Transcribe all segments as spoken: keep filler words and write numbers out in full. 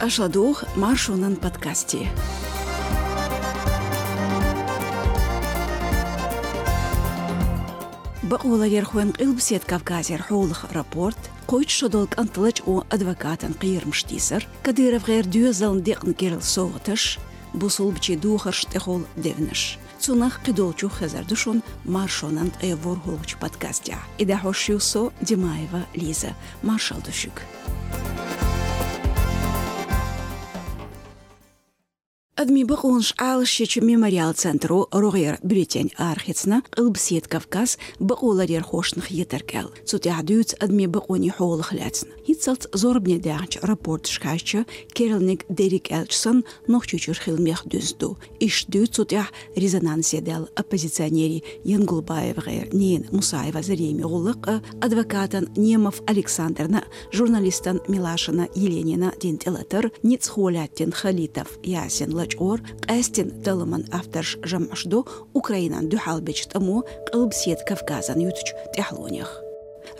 Аша дух Маршонан подкасте. Бакъоларъярхойн Къилбаседа Кавказера хьолах рапорт, кхойтта шо дола кӀант лачкъо адвокатан кхерамаш тийсар, КадыровгӀеран доьзална декъна керла совгӀаташ, бусалбачий духаршна тӀехула девнаш. Цунах кхыдолчух хезар ду шун Маршонан ткъе ворхӀалгӀача подкастехь. И дӀахьош ю со, Димаева Лиза. Маршалла ду шуьга. Адамийн бакъонаш Ӏалашъечу Мемориал центро рогӀера бюллетень арахецна, Къилбаседа Кавказ бакъоларъярхошна хетарг аьлла. Цу тӀехь дуьйцу адамийн бакъонийн хьолах лаьцна. ХӀинццалц зорбане даьхначу рапорташка хьаьжча, керланиг дерриг аьлча санна, Нохчийчуьра хила мех дуьзна ду. Иштта дуьйцу цу тӀехь резонансе даьлла оппозиционерийн ЯнгулбаевгӀеран ненан Мусаева Заремин гӀуллакх а, адвокатан Немов Александрна а, журналистан Милашина Еленина дина тӀелатар, ницкъахо лаьттина Халитов Ясин лачкъор, къаьстина талламан авторш жамӀаш до Украинан дуьхьалбечу тӀамо Къилбаседа Кавказан ютучу тӀаьхьалонех.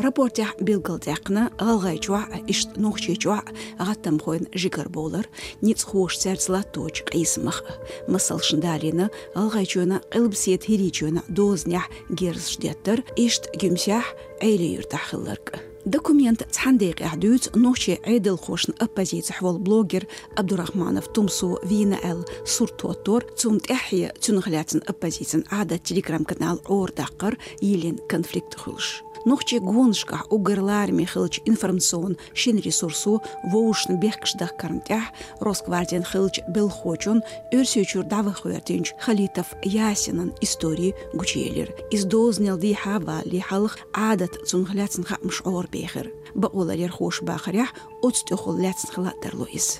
Рапортехь билгалдаьккхина ГӀалгӀайчохь а, иштта Нохчийчохь а гӀаттамхойн жигарбовлар, ницкъахоша цаьрца латточу къийсамах а. Масалшна далийна ГӀалгӀайчоьнан а, Къилбаседа ХӀирийчоьнан а дозанехь герзаш деттар, иштта Гуьмсехь а, Ӏели-Юьртахь хилларг а. Документан цхьана декъехь дуьйцу нохчийн Ӏедалхошна оппозицехь волу блогер Абдурахманов Тумсо вийна аьлла сурт хӀоттор, цунна тӀаьххье цунах лаьцна оппозицин Ӏадат телеграм-канал Ӏорадаккхар йиллина конфликт хуьлуш. Нохчийн гонашкахь уггар лараме хиллачу информационан шина ресурсо вовшашна бехкаш дахкарна тӀехь, Росгвардин хиллачу белхахочун Оьрсийчуьра дӀаваха гӀоьртинчу Халитов Ясинан истори гучуелира. Иза дозанал дехьа а валале хьалха Ӏадат цунах лаьцна хаамаш Ӏорабехира. Бакъоларъярхоша бахарехь, оцу тӀехула лаьцна хила а тарло иза.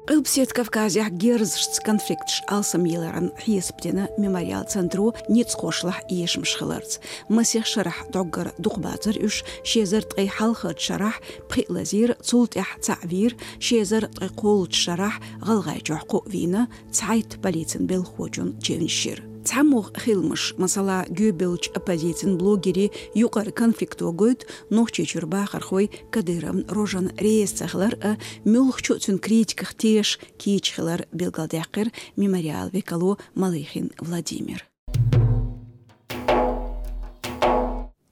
Къилбаседа Кавказехь герзашца конфликташ алсамъяларан хьесап дина Мемориал центро ницкъахошлахь эшамаш хиларца. Масех шарахь дӀоггара дукхабацара уьш, ши эзар ткъе хьалхарчу шарахь пхиъ лазийра, цул тӀаьхьа цхьаъ вийра, ши эзар ткъе кхоалгӀачу шарахь ГӀалгӀайчохь кхоъ вийна, цхьайтта полицин белхахочун чевнаш йира. ЦхьамогӀа хиламаш, масала, гӀарабевллачу оппозицин блогерийн юкъара конфликто гойту Нохчийчуьра бахархой Кадыровна Рожана реза цахилар а, муьлххачу а цуьнан критиках тешаш кийча хилар, билгалдаьккхира Мемориалан векало Малыхин Владимира.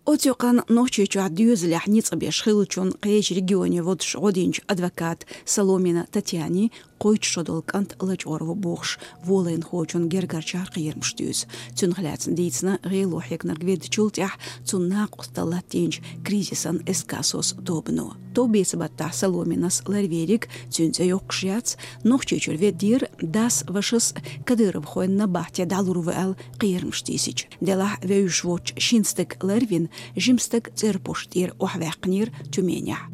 Оцу юкъанна Нохчийчохь доьзалехь ницкъ беш хиллачунна кхечу регионе водуш гӀо динчу адвоката Соломина Татьянин кхойтта шо долу кӀант лачкъор ву бохуш, волайнахочун гергарчара кхерамаш дуьйцу. Цунах лаьцна дийцина гӀело хьегнарг веддачул тӀаьхьа цунна накъосталла латтийначу «Кризис»-ан СК «СОС» тобано. Товбеца-баттахь Соломинас ларвийриг, цуьнан цӀе йоккхуш яц, Нохчийчуьра веддера дас, вашас кадыровхойн набахте дӀалур ву аьлла кхерамаш тийсича. Делахь вевзаш воцчу шина стага ларвина, жима стаг цӀерпошта тӀера охьаваьккхинера Тюменехь.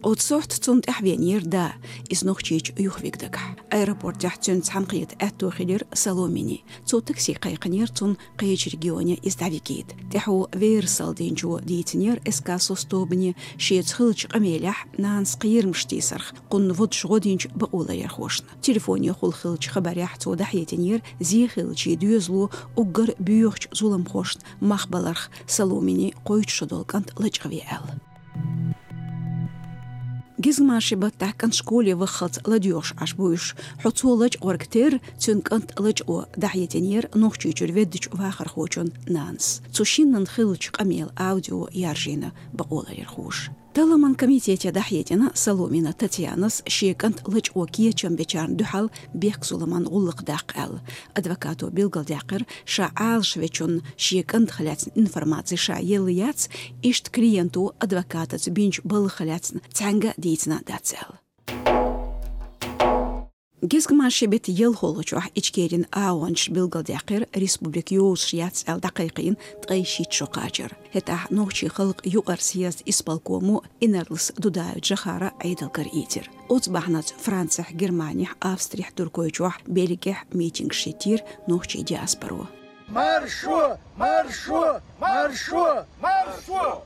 Оцу сохьта цунна тӀаьхьавеанера да, иза Нохчийчу юхавига дагахь. Аэропортехь цуьнца цхьаьнакхета аьтто хилира Соломинин. Цо такси кхайкхинера цунна кхечу регионе иза дӀавигийта. ТӀаьхьо верасалла динчо дийцинера СК «СОС» тобане, шеца хиллачу къамелехь нанас кхерамаш тийсарх, кхунна водуш гӀо динчу бакъоларъярхошна. Телефонехула хиллачу хабарехь цо дӀахьединера зен хиллачийн доьзало уггар боьхачу зуламхошна мах баларх Соломинин кхойтта шо долу кӀант лачкъаве аьлла. Гезгмашин баттахь кӀант школе ваххалц ладоьгӀуш Ӏаш бу уьш. Хьо цо лачкъорг терра, цуьнан кӀант лачкъо, дӀахьединера Нохчийчуьра веддачу вахархочун нанас. Цу шиннан хиллачу къамелан аудио яржийна бакъоларъярхоша. Талламан комитете дӀахьедина Соломина Татьянас шен кӀант лачкъо кечам бечарна дуьхьал бехк-зуламан гӀуллакх даккха аьлла. Адвокато билгалдаьккхира, ша Ӏалашвечунна шен кӀантах лаьцна информаци ша елла яц, иштта клиенто адвокатаца бинчу балхах лаьцна цхьаьнга а дийцина дац аьлла. Гезгмашин беттан ялхолгӀачохь Ичкерин агӀончаша билгалдаьккхира, республика йозуш яц аьлла дӀакхайкхийна ткъе шийтта шо кхачар. ХӀетахь Нохчийн халкъан юкъара съездан исполкомо Инарлас Дудаев Джохара Ӏедалгара ийцира. Оцу бахьанца Францехь, Германехь, Австрехь, Туркойчохь, Бельгехь митингаш йиттийра нохчийн диаспоро. Маршо! Маршо! Маршо! Маршо!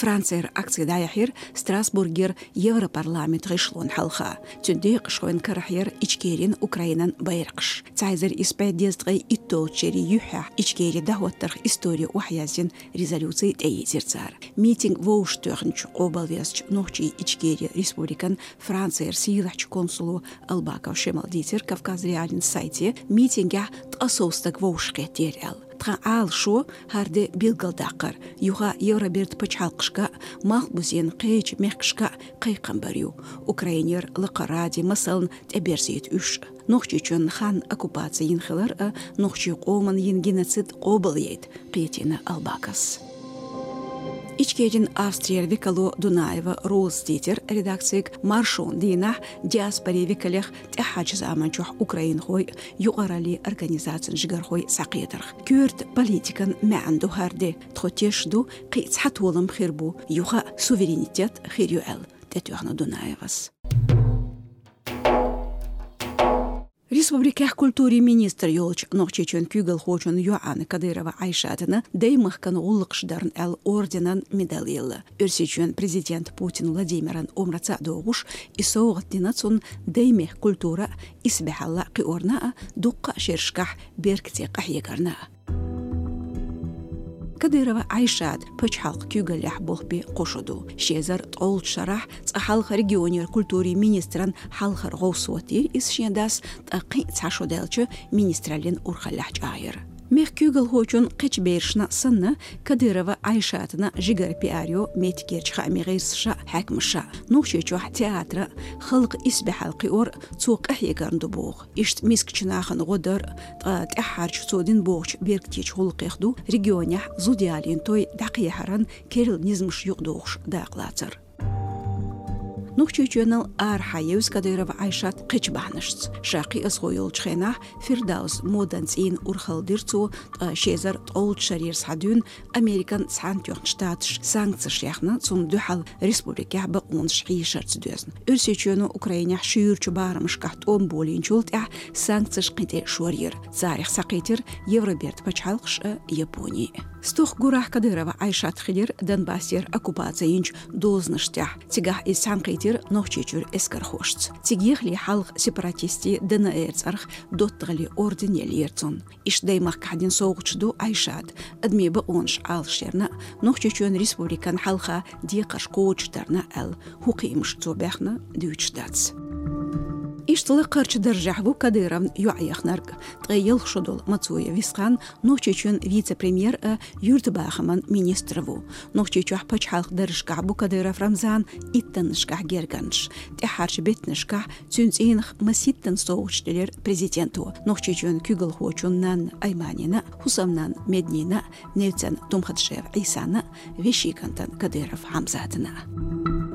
Францера акци дӀаяхьира Страсбургера Европарламент гӀишлон хьалха. Цуьнан декъашхойн карахь яра Ичкерин, Украинан байракхаш. Цхьа эзар исс бӀе дезткъе итталгӀачу шерийн юьххьехь Ичкери дӀахӀоттарх истори охьаязйина резолюци тӀеийзира цара. Митинг вовшахтоьхначу къобалвезачу Нохчийн Ичкери Республикан Францера сийлахьчу консуло Албаков Шемала дийцира Кавказ.Реалиин сайте, митингехь ткъа сов стаг вовшахкхеттера аьлла. Тхан Ӏалашо хӀара де билгалдаккхар, юха Евроберда пачхьалкхашка а, Малхбузен кхечу мехкашка а кхайкхам бар ю. Украинера лакхара радий масална тӀеберзийта уьш. Нохчийчоьнан ханна оккупаци йина хилар а, нохчийн къоман йина геноцид къобалъяйта, кхетийна Албаковс. Ичкерин Австрера векало Дунаева Роза дийцира редакцига маршонан дийнахь диаспорин векалех тӀаьххьарчу заманчохь украинхой, юкъараллин организацийн жигархой схьакхетарх. Коьрта политикан маьӀна ду хӀара де. Тхо тешаш ду, кхин а цхьа толам хир бу, юха а суверенитет хир ю аьлла, тӀетоьхна Дунаевас. Республикехь культурин министр йолчу Нохчийчоьнан куьйгалхочун йоӀана Кадырова Ӏайшатана Даймахкан гӀуллакхаш дарна аьлла орденан медаль елла. Оьрсийчоьнан президента Путин Владимиран омраца а догӀуш, и совгӀат дина цунна Даймехкан культура а, исбаьхьалла а кхиорна а, дуккха а шерашкахь беркате къахьегарна а. Кадырова Ӏайшата пачхьалкхан куьйгаллехь болх бен кхо шо ду. Ши эзар ткъолгӀачу шарахь цкъа хьалха регионера культурин министран хьалхара гӀовс хӀоттийра иза шен дас, ткъа кхин а цхьа шо даьлча министраллин урхаллехь чӀагӀъяра. Мехкан куьйгалхочун кхечу берашна санна, Кадырова Ӏайшатана жигара пиар йо меттигерчу хаамийн гӀирсаша а, хьаькамаша а. Нохчийчохь театра а, халкъан исбаьхьалла кхиор а цо къахьегарна ду боху. Иштта мискачу нахана гӀо дар а, ткъа тӀаьххьарчу цо дина бохучу беркатечу гӀуллакхех ду регионехь зуда ялийна той дӀакхехьаран керла низамаш юкъадохуш дакъалацар. Нохчийчоьнал арахьа евза Кадырова Ӏайшат кхечу бахьанашца. Ша кхиазхо йолчу хенахь Фирдаус модан цӀийнан урхалла дира цо, ткъа ши эзар ткъолгӀачу шарера схьадуьйна Американ Цхьаьнатоьхначу Штаташа санкцеш яьхна, цунна дуьхьал республикехь бакъонаш хьийшарца доьзна. Оьрсийчоьно Украинехь шуьйрачу барамашкахь тӀом болийначул тӀаьхьа санкцеш кхин тӀе шорйира. Царех схьакхийтира Евроберда пачхьалкхаш а, Япони а. Стохка гурахь Кадырова Ӏайшат хилира Донбассера оккупаци йинчу дозанаш тӀехь. Цигахь иза цхьаьнакхийтира Нохчийчуьра эскархошца. Цига ехале хьалха сепаратистийн Д Н Р цӀарах доттагӀаллин орден еллера цунна. Иштта Даймахкахь дина совгӀаташ ду Ӏайшата, адамийн бакъонаш Ӏалашъярна а, Нохчийчоьнан республикан хьалха декхарш кхочушдарна а аьлла, хӀун кхиамаш цо баьхна, дуьйцуш дац. Иштта лакхарчу даржехь ву Кадыровн йоӀ яхнарг. Ткъе ялх шо долу Мацуев Висхан Нохчийчоьнан вице-премьер а, юьртабахаман министр а ву. Нохчийчохь пачхьалкхан даржашкахь бу Кадыров Рамзанан иттаннашкахь гергарнаш. ТӀаьххьарчу беттанашкахь цуьнан цӀийнах масийттаза совгӀаташ делира президенто. Нохчийчоьнан куьйгалхочун нанна Айманина, хӀусамнанна Меднина, невцанна Тумхадашев Ӏийсана, вешин кӀантана Кадыров Хьамзатана.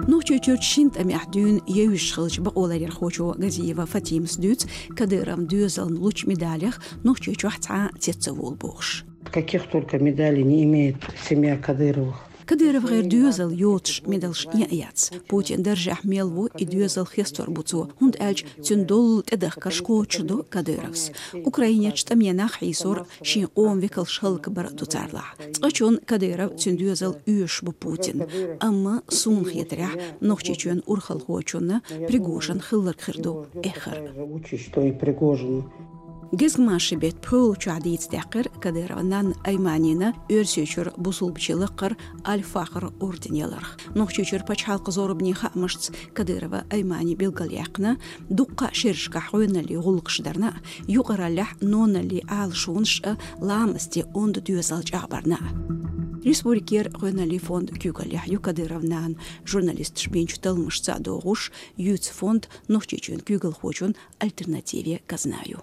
Нохчийчуьрчу шина тӀамехь дуьйна евзаш хиллачу бакъоларъярхочо Газиева Фатимас дуьйцу, Кадыровн доьзална лучу медалех Нохчийчохь цхьа а цец ца волу бохуш. Каких только медалей не имеет семья Кадыровых. КадыровгӀеран доьзал йоцуш медалш а яц. Путинан даржехь мел ву, и доьзал хестор бу цо, хӀунда аьлча цуьнан доллу тӀедахкарш кхочушдо Кадыровс. Украинерчу тӀаменах хьийсор, шен къоман векалш хӀаллакбар а ду царлахь. Цкъачунна Кадыров, цуьнан доьзал оьшуш бу Путинна. Амма, суна хетарехь, Нохчийчоьнан урхалхочунна Пригожин хилларг хир ду эххар. Учишь, что и Пригожину. Гезгмашин беттан пхоьалгӀачохь дийца даьккхира Кадыровн нанна Айманина Оьрсийчуьра бусулбачийн лакхара Аль-Фахр орден яларх. Нохчийчуьра пачхьалкхан зорбанийн хаамашца Кадырова Аймани билгалъяьккхина, дуккха а шерашкахь гӀоьналлин гӀуллакхаш дарна а, юкъараллехь ноналлин Ӏалашонаш а, ламастийн онда доьзал чӀагӀбарна а. Республикера гӀоьналлин фонд куьйгаллехь ю Кадыровн нана. Журналисташа бинчу талламашца а догӀуш, юьйцу фонд Нохчийчоьнан куьйгалхочун альтернативе казна ю.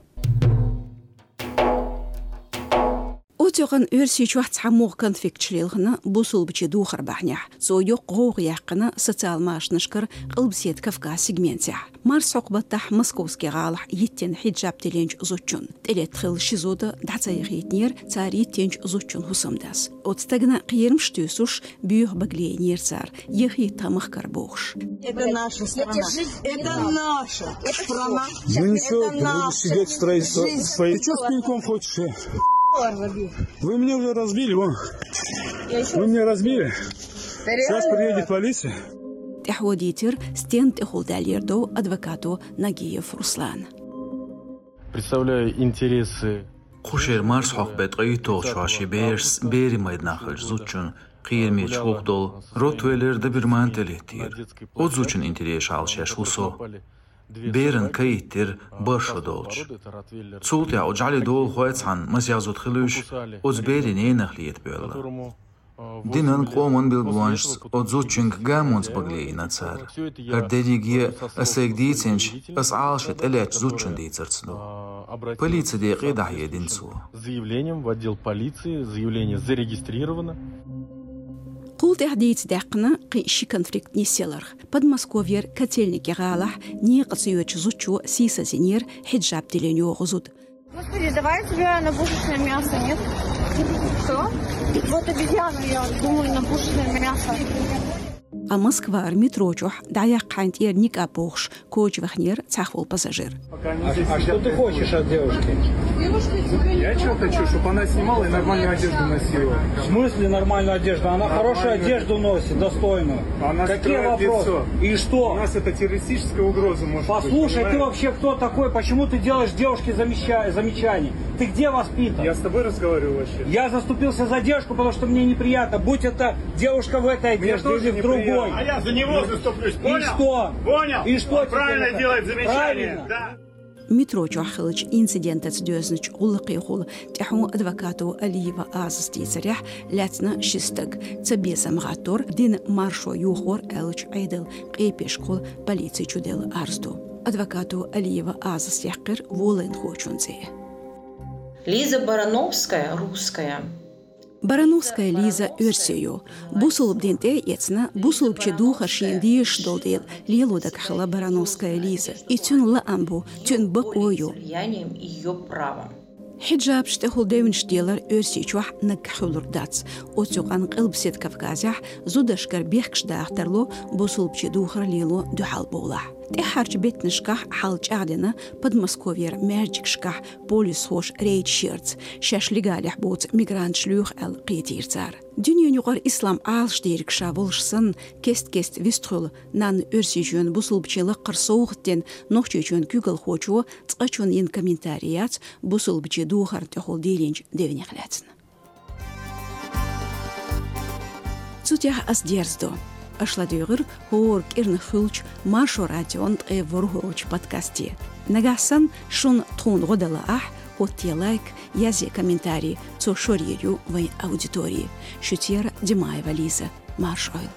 Оццу юкъана Оьрсийчохь цхьа могӀа конфликташ лилхина бусулбачийн духар бахьанехь. Цо йоккха гӀовгӀа яьккхина социал машанашкара Къилбаседа Кавказ сегментехь. Марсхьокху баттахь Московски гӀалахь йиттина хьиджаб тиллинчу зудчунна. ТӀелетта хилла ши зуда дӀа ца яхийтинера цара йиттинчу зудчун хӀусамдас. Оцу стагана кхерамаш туьйсуш, боьха бага лайнера цара, яхийта тхан махкара бохуш. Это наша страна. Это наша страна. Ну и всё, это наша сидеть в строительстве. Жизнь. Ты чё с пеньком хочешь? Вы мне уже разбили, вон. Вы мне разбили. Сейчас приедет полиция. ТӀаьхьо дийцар, стенна тӀехула даьллера дов адвокато Нагиев Руслана. Представляю интересы. Кху шера марсхьокху бетта ткъе итталгӀачу шарахь шен берашца Берий майданахь хиллачу зудчун кхерамечу гӀуллакх долу Ротвейлер доберман тӀелеттера. Оцу зудчун интересаш Ӏалашъеш ву со. Берана кхайийтира бархӀ шо долчу. Цул тӀаьхьа оцу жӀаьлин долахойн цхьанна масех зуда хилуш, оцу берийн ненах лета боьлла. Динан, къоман билгалонашца оцу зудчуьнга гамонца бага лийна цара. ХӀара дерриге а ас сайга дийцинчу, ас Ӏалашъян тӀелеттачу зудчунна дийцарца ду. Полицин декъе дӀахьедина цо. Заявлением в отдел полиции, заявление зарегистрировано. Кхул тӀаьхьа дийца даьккхина кхин ши конфликт нисъяларх. Подмосковьера Котельники гӀалахь некъаца йоьдучу зудчо сийсаздинера хьиджаб диллина йогӀу зуда. Господи, давай я тебе на пушечное мясо, нет? Что? Вот обезьяну я думаю на пушечное мясо. А Москвара метро чохь дӀаяккха хьайна тӀера никъаб бохуш коча вахнера цхьаъ волу пассажир. А, а что ты хочешь от девушки? Я что хочу, чтобы она снимала и нормальную одежду носила. В смысле нормальную одежду? Она хорошую одежду носит, достойную. Она... Какие вопросы? И что? У нас это террористическая угроза может быть, понимаешь? Послушай, ты вообще кто такой? Почему ты делаешь девушке замеча-, замечания? Ты где воспитан? Я с тобой разговариваю вообще. Я заступился за девушку, потому что мне неприятно. Будь это девушка в этой одежде или в другой. Мне тоже неприятно. А я за него заступлюсь, понял? И что? Понял? И что теперь? Он правильно делает замечание. Правильно. Да. Метро чохь хиллачу инцидентаца доьзначу гӀуллакхехула тӀаьхьо адвокато Алиева Азас дийцарехь, лаьцна ши стаг, цабезам гӀаттор, дина маршо йохор аьллачу Ӏедалан къепешкахула полици чу делла арз ду. Адвокато Алиева Азас яьккхира волайнахочун цӀе. Лиза Барановская, русская. Барановская Лиза оьрсийо. Бусулба дин тӀе а эцна, бусулбачийн духар шена дезаш долу дела, лело дагахь хилла Барановская Лиза. И цуьнан лаам бу, цуьнан бакъо ю. Влиянием её права. Хьиджабаш тӀехула девнаш делар Оьрсийчохь наггахь хуьлург дац. Оцу юкъанна Къилбаседа Кавказехь зударшкара бехкаш даха тарло бусулбачийн духар лело дуьхьал бовлахь. ТӀаьххьарчу беттанашкахь хьал чӀагӀдина Подмосковьера маьждигашкахь полисхоша рейдаш ярца, шаьш легалехь боцу мигранташ лоьху аьлла кхетийра цара. Дуьненан юкъара ислам Ӏалашдийриг ша волуш санна, кест-кеста вистхуьлу нанна Оьрсийчоьнан бусулбачийн лакхара совгӀат дина Нохчийчоьнан куьйгалхочо цкъачунна йина комментарий яц бусулбачийн духарна тӀехула дийлинчу девнех лаьцна. Цу тӀехь ас дерзадо. Аша ладуьйгӀира хӀора кӀирнах хуьлучу Маршо радион ткъе ворхӀалгӀачу подкасте. Нагахь санна шуна тхуна гӀо дан лаахь, хӀоттае лайк, язъе комментарий, цо шорйийр ю вайн аудитори. Шуьца яра Димаева Лиза. Маршалла.